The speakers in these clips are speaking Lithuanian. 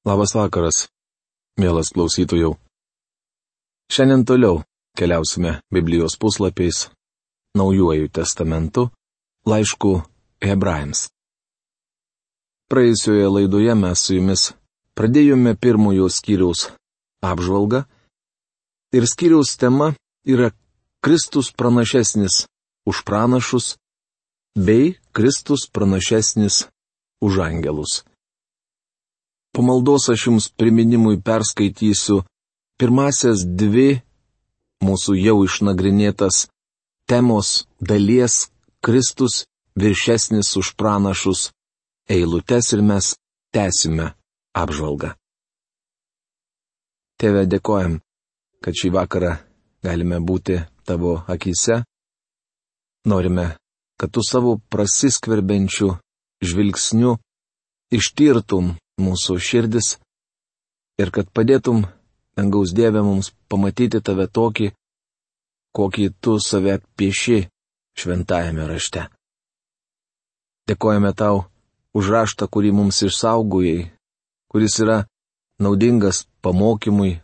Labas vakaras, mielas klausytojau. Šiandien toliau keliausime Biblijos puslapiais, Naujuoju testamentu, laišku Hebrajams. Praėjusioje laidoje mes su jumis pradėjome pirmojo skyriaus apžvalgą ir skyriaus tema yra Kristus pranašesnis už pranašus bei Kristus pranašesnis už angelus. Po maldos aš jums priminimui perskaitysiu pirmasias dvi mūsų jau išnagrinėtas temos dalies Kristus viršesnis už pranašus eilutes ir mes tęsime apžvalgą. Tėve, dėkojam, kad šį vakarą galime būti tavo akyse. Norime, kad tu savo prasiskverbiančiu žvilgsniu ištirtum mūsų širdis ir kad padėtum, dangaus Dieve, mums pamatyti tave tokį, kokį tu save pieši šventajame rašte. Dėkojame tau už raštą, kurį mums išsaugojai, kuris yra naudingas pamokymui,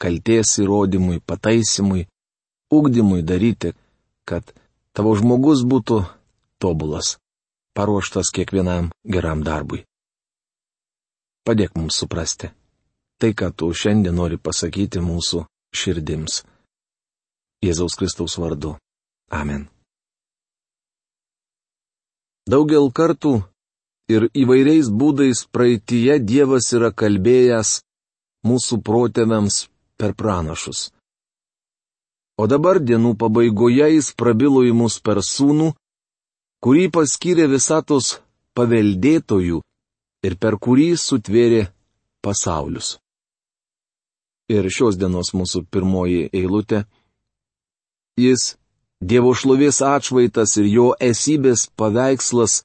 kaltės įrodymui, pataisimui, ugdymui daryti, kad tavo žmogus būtų tobulas, paruoštas kiekvienam geram darbui. Padėk mums suprasti tai, ką tu šiandien nori pasakyti mūsų širdims. Jėzaus Kristaus vardu. Amen. Daugel kartų ir įvairiais būdais praeityje Dievas yra kalbėjęs mūsų protėviams per pranašus. O dabar dienų pabaigoje jis prabilo į mus per sūnų, kurį paskyrė visatos paveldėtojų ir per kurį sutvėrė pasaulius. Ir šios dienos mūsų pirmoji eilutė. Jis, Dievo šlovės atšvaitas ir jo esybės paveikslas,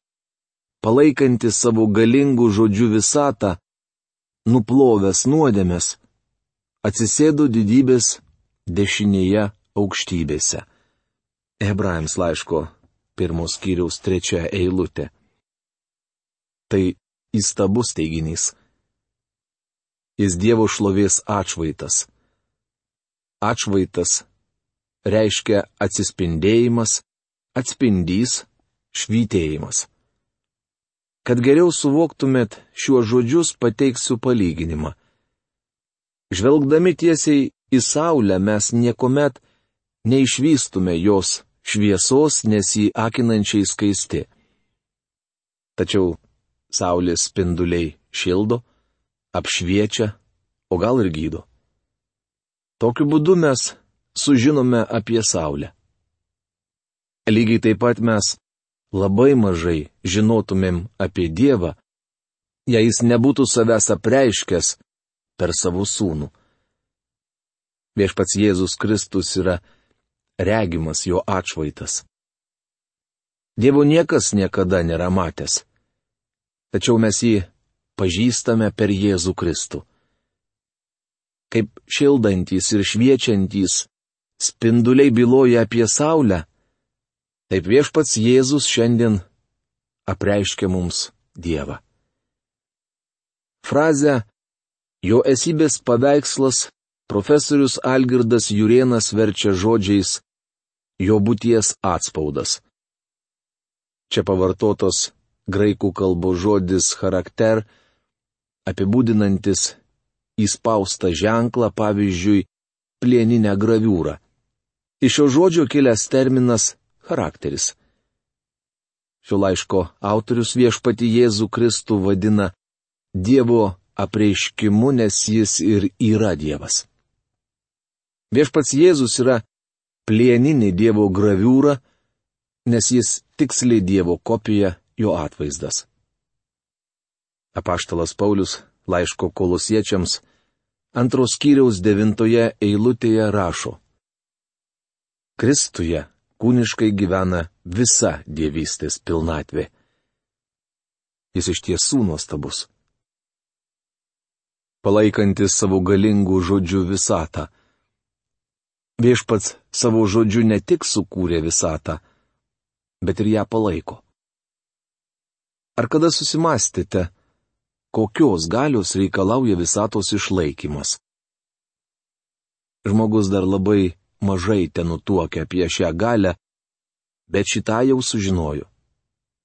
palaikantis savo galingų žodžių visatą, nuplovęs nuodėmes, atsisėdo didybės dešinėje aukštybėse. Hebrajams laiško 1 skyriaus 3 eilutė. Tai įstabus teiginys. Jis Dievo šlovės atšvaitas. Atšvaitas reiškia atsispindėjimas, atspindys, švytėjimas. Kad geriau suvoktumėt šiuos žodžius, pateiksiu palyginimą. Žvelgdami tiesiai į saulę mes niekuomet neišvystume jos šviesos, nes jį akinančiai skaisti. Tačiau saulės spinduliai šildo, apšviečia, o gal ir gydo. Tokiu būdu mes sužinome apie saulę. Lygiai taip pat mes labai mažai žinotumėm apie Dievą, jei jis nebūtų savęs apreiškęs per savo sūnų. Viešpats Jėzus Kristus yra regimas jo atšvaitas. Dievo niekas niekada nėra matęs. Tačiau mes jį pažįstame per Jėzų Kristų. Kaip šildantys ir šviečiantys spinduliai byloja apie saulę, taip viešpats Jėzus šiandien apreiškia mums Dievą. Frazę jo esybės paveikslas profesorius Algirdas Jurėnas verčia žodžiais jo būties atspaudas. Čia pavartotos graikų kalbos žodis charakter, apibūdinantis įspaustą ženklą, pavyzdžiui, plieninę graviūrą. Iš šio žodžio kilęs terminas charakteris. Šio laiško autorius viešpatį Jėzų Kristų vadina Dievo apreiškimu, nes jis ir yra Dievas. Viešpats Jėzus yra plieninė Dievo graviūra, nes jis tiksliai Dievo kopija, jo atvaizdas. Apaštalas Paulius laiško Kolosiečiams 2 skyriaus 9 eilutėje rašo: Kristuje kūniškai gyvena visa dievystės pilnatvė. Jis iš tiesų nuostabus. Palaikantis savo galingų žodžių visatą. Viešpats savo žodžiu ne tik sukūrė visatą, bet ir ją palaiko. Ar kada susimastėte, kokios galios reikalauja visatos išlaikymas. Žmogus dar labai mažai tenutuokia apie šią galę, bet šitą jau sužinojo.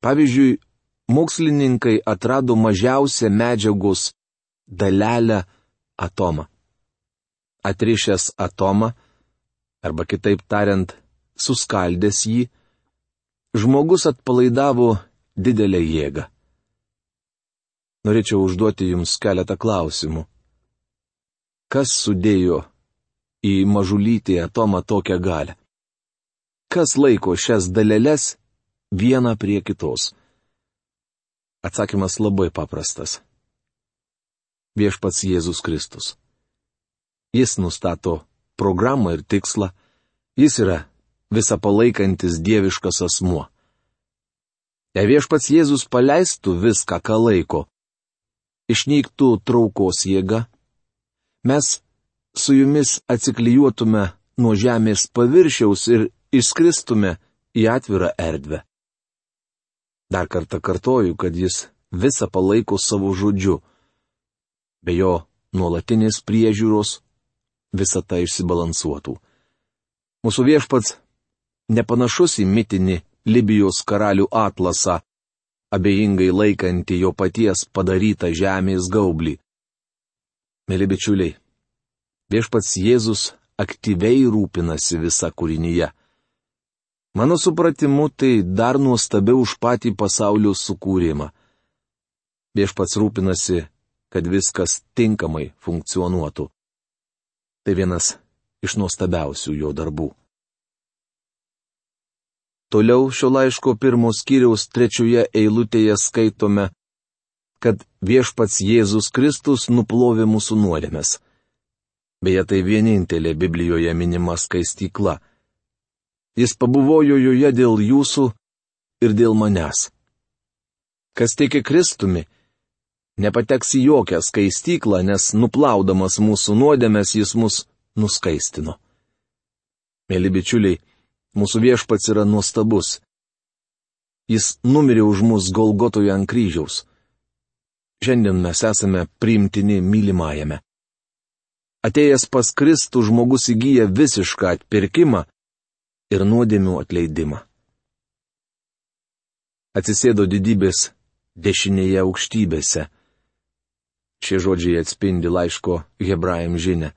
Pavyzdžiui, mokslininkai atrado mažiausią medžiagos dalelę atomą. Atrišęs atomą, arba kitaip tariant, suskaldęs jį, žmogus atpalaidavo didelę jėgą. Norėčiau užduoti jums keletą klausimų. Kas sudėjo į mažulytį atomą tokią galią? Kas laiko šias daleles vieną prie kitos? Atsakymas labai paprastas. Viešpats Jėzus Kristus. Jis nustato programą ir tikslą, jis yra visą palaikantis dieviškas asmuo. Jei viešpats Jėzus paleistų viską, ką laiko, išnyktų traukos jėga, mes su jumis atsiklijuotume nuo žemės paviršiaus ir išskristume į atvirą erdvę. Dar kartą kartoju, kad jis visą palaiko savo žodžiu. Be jo nuolatinės priežiūros visa tai išsibalansuotų. Mūsų viešpats nepanašus į mitinį Libijos karalių atlasą, abejingai laikantį jo paties padarytą žemės gaublį. Mėly bičiuliai, viešpats Jėzus aktyviai rūpinasi visa kūrinyje. Mano supratimu, tai dar nuostabiau už patį pasaulio sukūrimą. Viešpats rūpinasi, kad viskas tinkamai funkcionuotų. Tai vienas iš nuostabiausių jo darbų. Toliau šio laiško 1 skyriaus 3 eilutėje skaitome, kad viešpats Jėzus Kristus nuplovė mūsų nuodėmes. Beje, tai vienintelė Biblijoje minima skaistykla. Jis pabuvojo joje dėl jūsų ir dėl manęs. Kas tiki Kristumi, nepateks į jokią skaistyklą, nes nuplaudamas mūsų nuodėmes jis mus nuskaistino. Mėly bičiuliai, mūsų viešpats yra nuostabus. Jis numirė už mus Golgotoje ant kryžiaus. Šiandien mes esame priimtini mylimajame. Atėjęs pas Kristų žmogus įgyja visišką atpirkimą ir nuodėmių atleidimą. Atsisėdo didybės dešinėje aukštybėse. Šie žodžiai atspindi laiško Hebrajam žinią.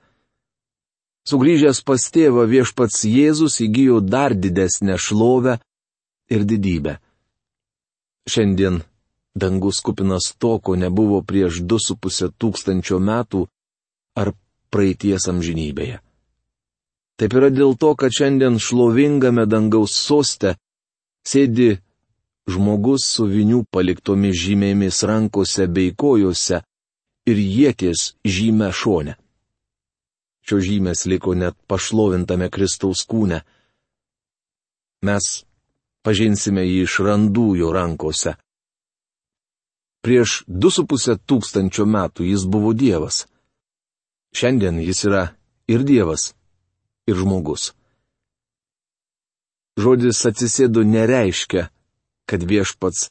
Sugrįžęs pas tėvą viešpats Jėzus įgijo dar didesnę šlovę ir didybę. Šiandien dangus kupinas to, ko nebuvo prieš 2,5 tūkstančio metų ar praeities amžinybėje. Taip yra dėl to, kad šiandien šlovingame dangaus soste sėdi žmogus su vinių paliktomis žymėmis rankose bei kojose ir ieties žymę šone. Šios žymės liko net pašlovintame Kristaus kūne. Mes pažinsime jį iš randų jo rankose. Prieš 2,5 tūkstančio metų jis buvo Dievas. Šiandien jis yra ir Dievas, ir žmogus. Žodis atsisėdo nereiškia, kad viešpats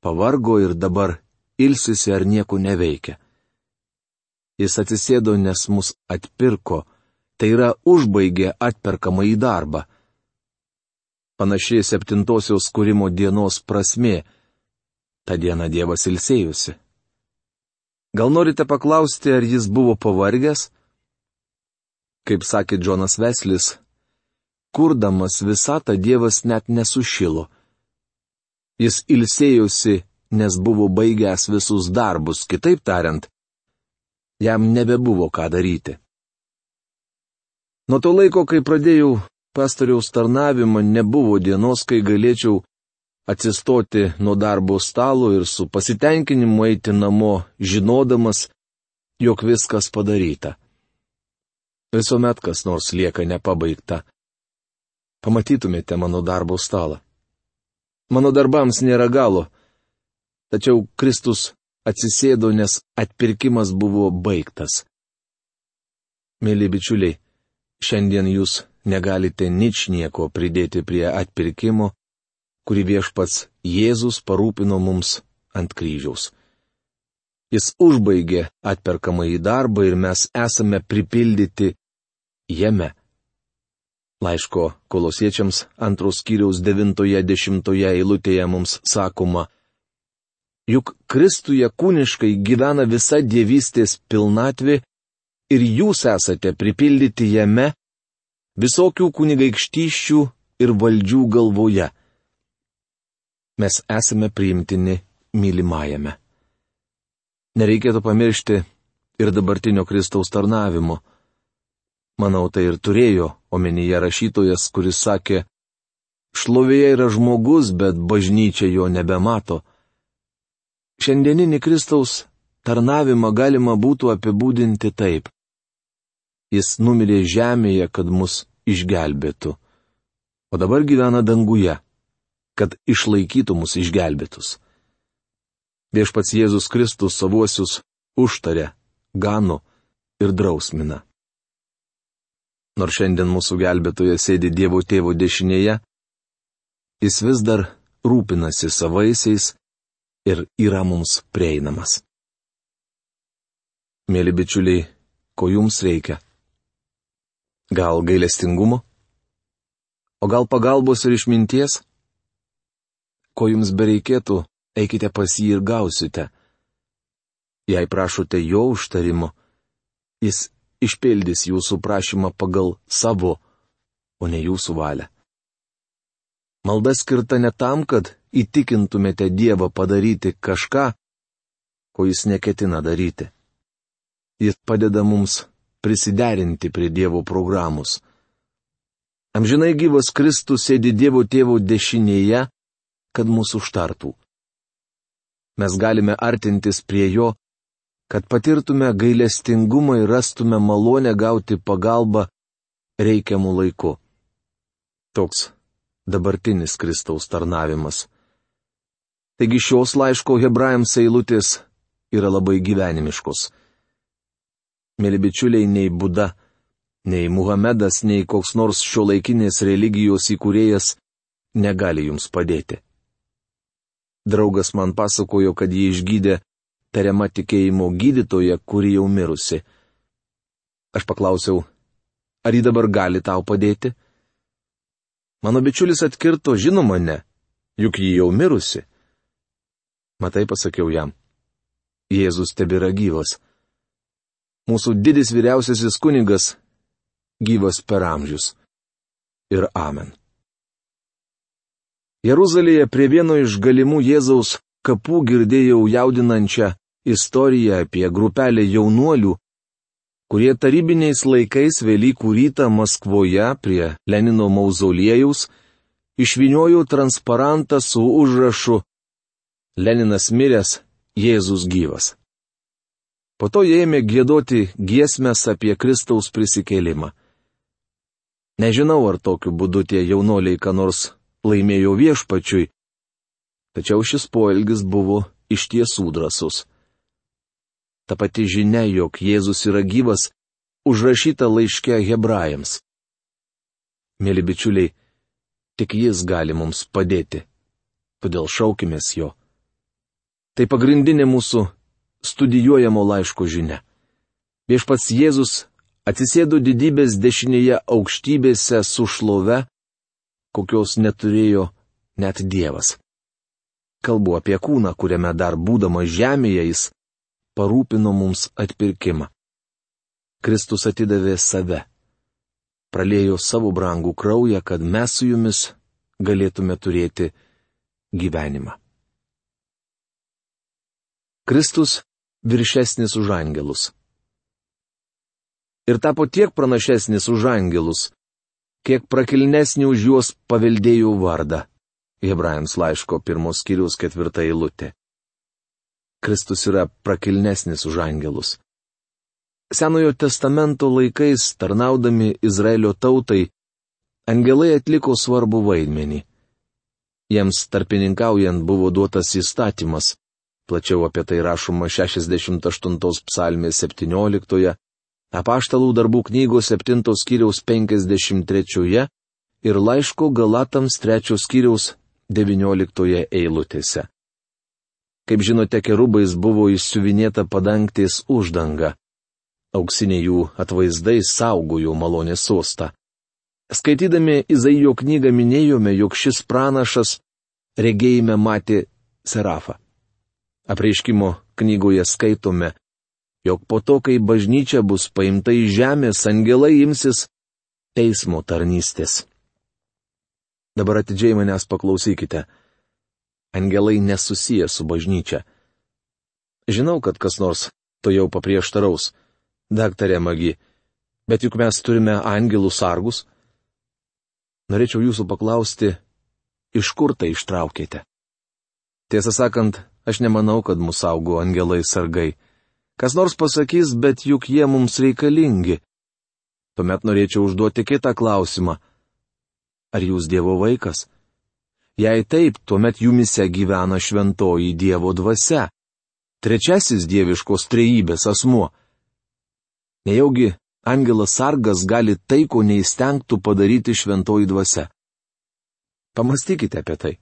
pavargo ir dabar ilsisi ar nieko neveikia. Jis atsisėdo, nes mus atpirko, tai yra užbaigė atperkamą į darbą. Panaši 7-osios kūrimo dienos prasmė. Ta diena Dievas ilsėjusi. Gal norite paklausti, ar jis buvo pavargęs? Kaip sakė Džonas Veslis, kurdamas visatą Dievas net nesušilo. Jis ilsėjosi, nes buvo baigęs visus darbus, kitaip tariant, jam nebebuvo ką daryti. Nuo to laiko, kai pradėjau pastoriaus tarnavimą, nebuvo dienos, kai galėčiau atsistoti nuo darbo stalo ir su pasitenkinimu eiti namo, žinodamas, jog viskas padaryta. Visuomet kas nors lieka nepabaigta. Pamatytumėte mano darbo stalą. Mano darbams nėra galo, tačiau Kristus atsisėdo, nes atpirkimas buvo baigtas. Mėly bičiuliai, šiandien jūs negalite ničnieko pridėti prie atpirkimo, kurį viešpats Jėzus parūpino mums ant kryžiaus. Jis užbaigė atperkamąjį darbą ir mes esame pripildyti jame. Laiško Kolosiečiams 2 skyriaus 9-10 eilutėje mums sakoma: juk Kristuje kūniškai gyvena visa dievystės pilnatvė ir jūs esate pripildyti jame visokių kunigaikštyščių ir valdžių galvoje. Mes esame priimtini mylimajame. Nereikėtų pamiršti ir dabartinio Kristaus tarnavimo. Manau, tai ir turėjo omenyje rašytojas, kuris sakė: šlovėje yra žmogus, bet bažnyčia jo nebemato. Šiandieninį Kristaus tarnavimą galima būtų apibūdinti taip: jis numirė žemėje, kad mus išgelbėtų, o dabar gyvena danguje, kad išlaikytų mus išgelbėtus. Viešpats Jėzus Kristus savuosius užtarė, gano ir drausmina. Nors šiandien mūsų gelbėtojas sėdi Dievo Tėvo dešinėje, jis vis dar rūpinasi savaisiais ir yra mums prieinamas. Mėly bičiuliai, ko jums reikia? Gal gailestingumo? O gal pagalbos ir išminties? Ko jums bereikėtų, eikite pas jį ir gausite. Jei prašote jo užtarimo, jis išpildys jūsų prašymą pagal savo, o ne jūsų valią. Malda skirta ne tam, kad įtikintumėte Dievą padaryti kažką, ko jis neketina daryti. Jis padeda mums prisiderinti prie Dievo programos. Amžinai gyvas Kristus sėdi Dievo Tėvo dešinėje, kad mūsų užtartų. Mes galime artintis prie jo, kad patirtume gailestingumą ir rastume malonę gauti pagalbą reikiamų laiku. Toks dabartinis Kristaus tarnavimas. Taigi šios laiško Hebrajams eilutės yra labai gyvenimiškos. Mėly bičiuliai, nei Buda, nei Muhamedas, nei koks nors šiuolaikinės religijos įkūrėjas negali jums padėti. Draugas man pasakojo, kad jį išgydė tariama tikėjimo gydytoja, kuri jau mirusi. Aš paklausiau, ar ji dabar gali tau padėti? Mano bičiulis atkirto, žinoma ne, juk ji jau mirusi. Matai, pasakiau jam, Jėzus tebėra gyvas. Mūsų didis vyriausiasis kunigas gyvas per amžius. Ir amen. Jeruzalėje prie vieno iš galimų Jėzaus kapų girdėjau jaudinančią istoriją apie grupelę jaunuolių, kurie tarybiniais laikais Velykų rytą Maskvoje prie Lenino mauzoliejaus išvyniojo transparantą su užrašu Leninas miręs, Jėzus gyvas. Po to jie ėmė giedoti giesmes apie Kristaus prisikėlimą. Nežinau, ar tokiu būdu tie jaunuoliai ką nors laimėjo viešpačiui, tačiau šis poelgis buvo iš tiesų drąsus. Ta pati žinia, jog Jėzus yra gyvas, užrašyta laiške Hebrajams. Mėly bičiuliai, tik jis gali mums padėti, todėl šaukimės jo. Tai pagrindinė mūsų studijuojamo laiško žinia. Viešpats Jėzus atsisėdo didybės dešinėje aukštybėse su šlove, kokios neturėjo net Dievas. Kalbu apie kūną, kuriame dar būdamas žemėje jis parūpino mums atpirkimą. Kristus atidavė save. Praliejo savo brangų kraują, kad mes su jumis galėtume turėti gyvenimą. Kristus viršesnis už angelus. Ir tapo tiek pranašesnis už angelus, kiek prakilnesnį už juos paveldėjo vardą. Hebrajams laiško 1 skyriaus 4 eilutė. Kristus yra prakilnesnis už angelus. Senojo testamento laikais, tarnaudami Izraelio tautai, angelai atliko svarbų vaidmenį. Jiems tarpininkaujant buvo duotas įstatymas. Plačiau apie tai rašoma 68 psalmės 17, Apaštalų darbų knygos 7 skyriaus 53 ir laiško Galatams 3 skyriaus 19 eilutėse. Kaip žinote, kerubais buvo išsiuvinėta padangtės uždanga. Auksiniai jų atvaizdai saugojo malonės sostą. Skaitydami Izaijo knygą minėjome, jog šis pranašas regėjime matė serafą. Apreiškimo knygoje skaitome, jog po to, kai bažnyčia bus paimta iš žemės, angelai imsis teismo tarnystės. Dabar atidžiai manęs paklausykite. Angelai nesusiję su bažnyčia. Žinau, kad kas nors to jau paprieštaraus. Daktarė Magi, bet juk mes turime angelų sargus. Norėčiau jūsų paklausti, iš kur tai ištraukėte? Tiesą sakant, aš nemanau, kad mus saugo angelai sargai. Kas nors pasakys, bet juk jie mums reikalingi. Tuomet norėčiau užduoti kitą klausimą. Ar jūs Dievo vaikas? Jei taip, tuomet jumise gyvena šventoji Dievo dvasia. Trečiasis dieviškos trejybės asmuo. Nejaugi angelas sargas gali tai, ko neįstengtų padaryti šventoji dvasia. Pamastykite apie tai.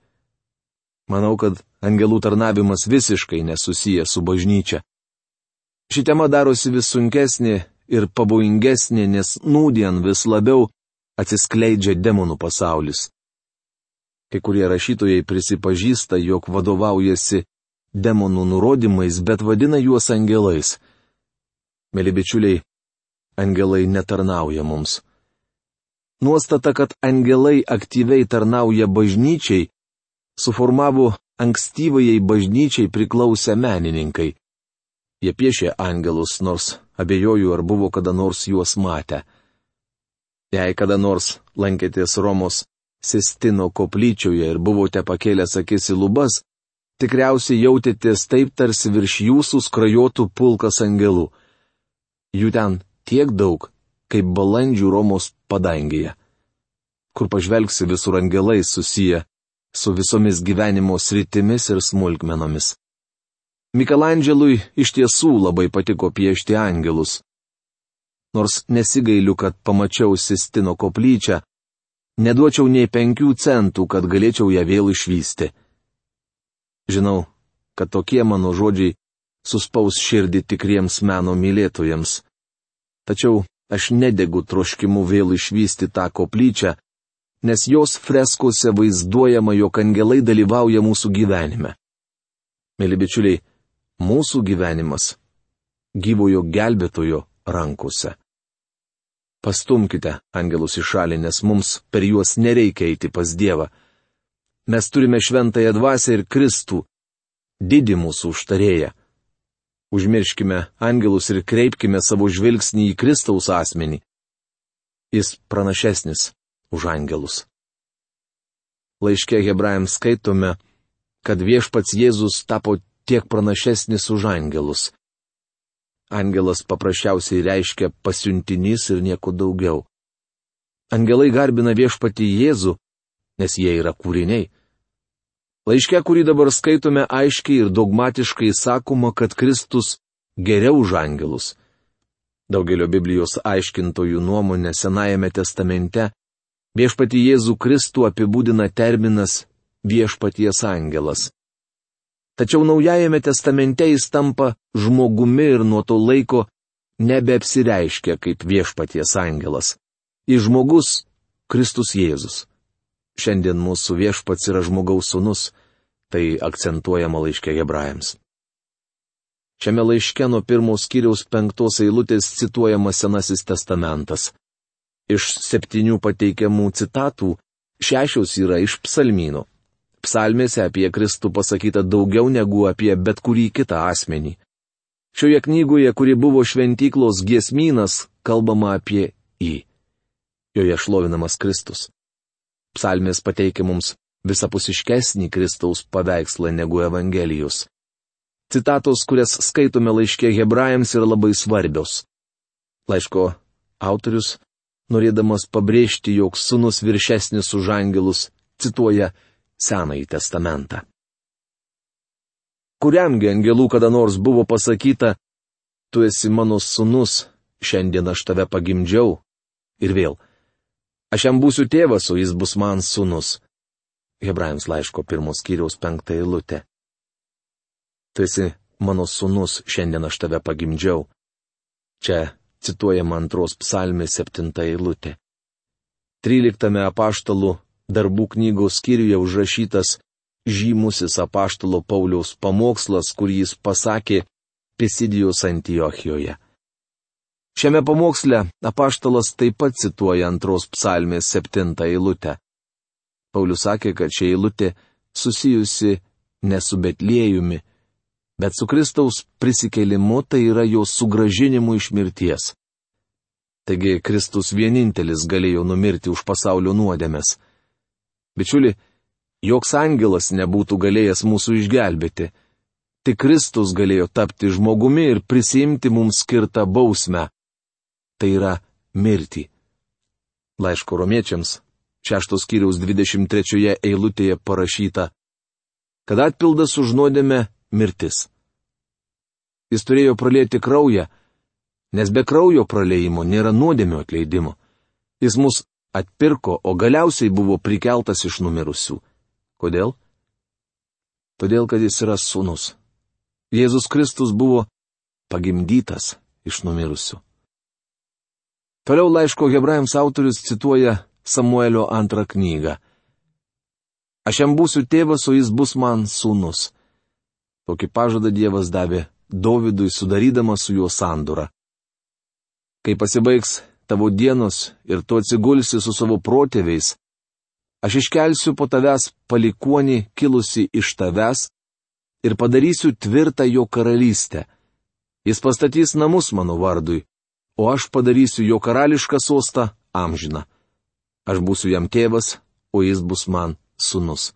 Manau, kad angelų tarnavimas visiškai nesusijęs su bažnyčia. Ši tema darosi vis sunkesnė ir pavojingesnė, nes nūdien vis labiau atsiskleidžia demonų pasaulis. Kai kurie rašytojai prisipažįsta, jog vadovaujasi demonų nurodymais, bet vadina juos angelais. Mėly bičiuliai, angelai netarnauja mums. Nuostata, kad angelai aktyviai tarnauja bažnyčiai, suformavo ankstyvajai bažnyčiai priklausę menininkai. Jie piešė angelus, nors abejoju, ar buvo kada nors juos matę. Jei kada nors lankėtės Romos Sistino koplyčioje ir buvote pakėlęs akis į lubas, tikriausiai jautėtės taip, tarsi virš jūsų skrajotų pulkas angelų. Jų ten tiek daug, kaip balandžių Romos padangėje. Kur pažvelgsi, visur angelai susiję su visomis gyvenimo sritimis ir smulkmenomis. Mikelandželui iš tiesų labai patiko piešti angelus. Nors nesigailiu, kad pamačiau Sistino koplyčią, neduočiau nei 5 centų, kad galėčiau ją vėl išvysti. Žinau, kad tokie mano žodžiai suspaus širdį tikriems meno mylėtojams. Tačiau aš nedegu troškimu vėl išvysti tą koplyčią, nes jos freskose vaizduojama, jog angelai dalyvauja mūsų gyvenime. Mėly bičiuliai, mūsų gyvenimas gyvojo gelbėtojo rankose. Pastumkite angelus į šalį, nes mums per juos nereikia eiti pas Dievą. Mes turime šventąją dvasią ir Kristų, didį mūsų užtarėją. Užmirškime angelus ir kreipkime savo žvilgsnį į Kristaus asmenį. Jis pranašesnis už angelus. Laiške Hebrajams skaitome, kad viešpats Jėzus tapo tiek pranašesnis už angelus. Angelas paprasčiausiai reiškia pasiuntinys ir nieko daugiau. Angelai garbina viešpatį Jėzų, nes jie yra kūriniai. Laiške, kurį dabar skaitome, aiškiai ir dogmatiškai sakoma, kad Kristus geriau už angelus. Daugelio Biblijos aiškintojų nuomonė Senajame testamente viešpatį Jėzų Kristų apibūdina terminas viešpaties angelas. Tačiau Naujajame testamente jis tampa žmogumi ir nuo to laiko nebeapsireiškia kaip viešpaties angelas. Jis žmogus Kristus Jėzus. Šiandien mūsų viešpats yra žmogaus sūnus, tai akcentuojama laiške Hebrajams. Šiame laiške nuo 1 skyriaus 5 eilutės cituojamas Senasis testamentas. Iš 7 pateikiamų citatų 6 yra iš psalmynų. Psalmėse apie Kristų pasakyta daugiau negu apie bet kurį kitą asmenį. Šioje knygoje, kuri buvo šventyklos giesmynas, kalbama apie jį. Joje šlovinamas Kristus. Psalmės pateikia mums visapusiškesnį Kristaus paveikslą negu Evangelijos. Citatos, kurias skaitome laiške Hebrajams, yra labai svarbios. Laiško autorius, norėdamas pabrėžti, jog sūnus viršesnis už angelus, cituoja Senąjį testamentą. Kuriamgi angelų kada nors buvo pasakyta, tu esi mano sūnus, šiandien aš tave pagimdžiau. Ir vėl, aš jam būsiu tėvas, o jis bus man sūnus. Hebrajams laiško 1 skyriaus 5 eilutė. Tu esi mano sūnus, šiandien aš tave pagimdžiau. Čia cituojama 2 psalmės 7 eilutė. 13 apaštalų darbų knygos skyriuje užrašytas žymusis apaštalo Pauliaus pamokslas, kurį jis pasakė Pisidijos Antiochijoje. Šiame pamoksle apaštalas taip pat cituoja 2 psalmės 7 eilutę. Paulius sakė, kad ši eilutė susijusi ne su Betliejumi, bet su Kristaus prisikėlimu, tai yra jo sugrąžinimu iš mirties. Taigi Kristus vienintelis galėjo numirti už pasaulio nuodėmes. Bičiuli, joks angelas nebūtų galėjęs mūsų išgelbėti. Tik Kristus galėjo tapti žmogumi ir prisiimti mums skirtą bausmę. Tai yra mirtį. Laiško romiečiams 6 skyriaus 23 eilutėje parašyta, kad atpildas už nuodėmę mirtis. Jis turėjo pralieti kraują, nes be kraujo praliejimo nėra nuodėmio atleidimo. Jis mus atpirko, o galiausiai buvo prikeltas iš numirusių. Kodėl? Todėl, kad jis yra sūnus. Jėzus Kristus buvo pagimdytas iš numirusių. Toliau laiško Hebrajams autorius cituoja Samuelio 2 knygą. Aš jam būsiu tėvas, o jis bus man sūnus. Tokį pažadą Dievas davė Dovydui, sudarydamas su juo sandorą. Kai pasibaigs tavo dienos ir tu atsigulsi su savo protėviais, aš iškelsiu po tavęs palikuonį kilusi iš tavęs ir padarysiu tvirtą jo karalystę. Jis pastatys namus mano vardui, o aš padarysiu jo karališką sostą amžiną. Aš būsiu jam tėvas, o jis bus man sūnus.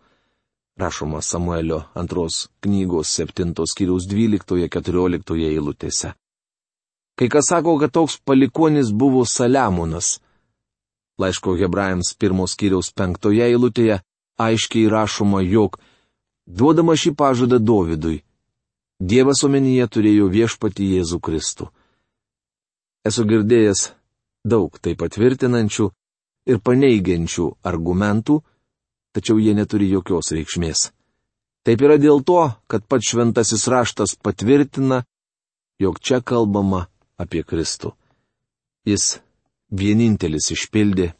Rašoma Samuelio 2 knygos 7 skyriaus 12-14 eilutėse. Kai kas sako, kad toks palikuonis buvo Saliamonas. Laiško Hebrajams 1 skyriaus 5 eilutėje aiškiai rašoma, jog duodama šį pažadą Dovydui, Dievas omenyje turėjo viešpatį Jėzų Kristų. Esu girdėjęs daug tai patvirtinančių ir paneigiančių argumentų, tačiau jie neturi jokios reikšmės. Taip yra dėl to, kad pats šventasis raštas patvirtina, jog čia kalbama apie Kristų. Jis vienintelis išpildė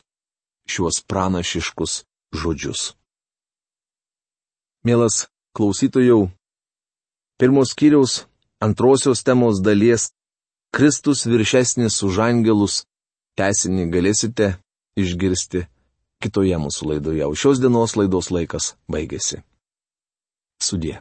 šiuos pranašiškus žodžius. Mielas klausytojau, 1 skyriaus 2 temos dalies Kristus viršesnis už angelus tęsinį galėsite išgirsti kitoje mūsų laidoje, o šios dienos laidos laikas baigėsi. Sudie.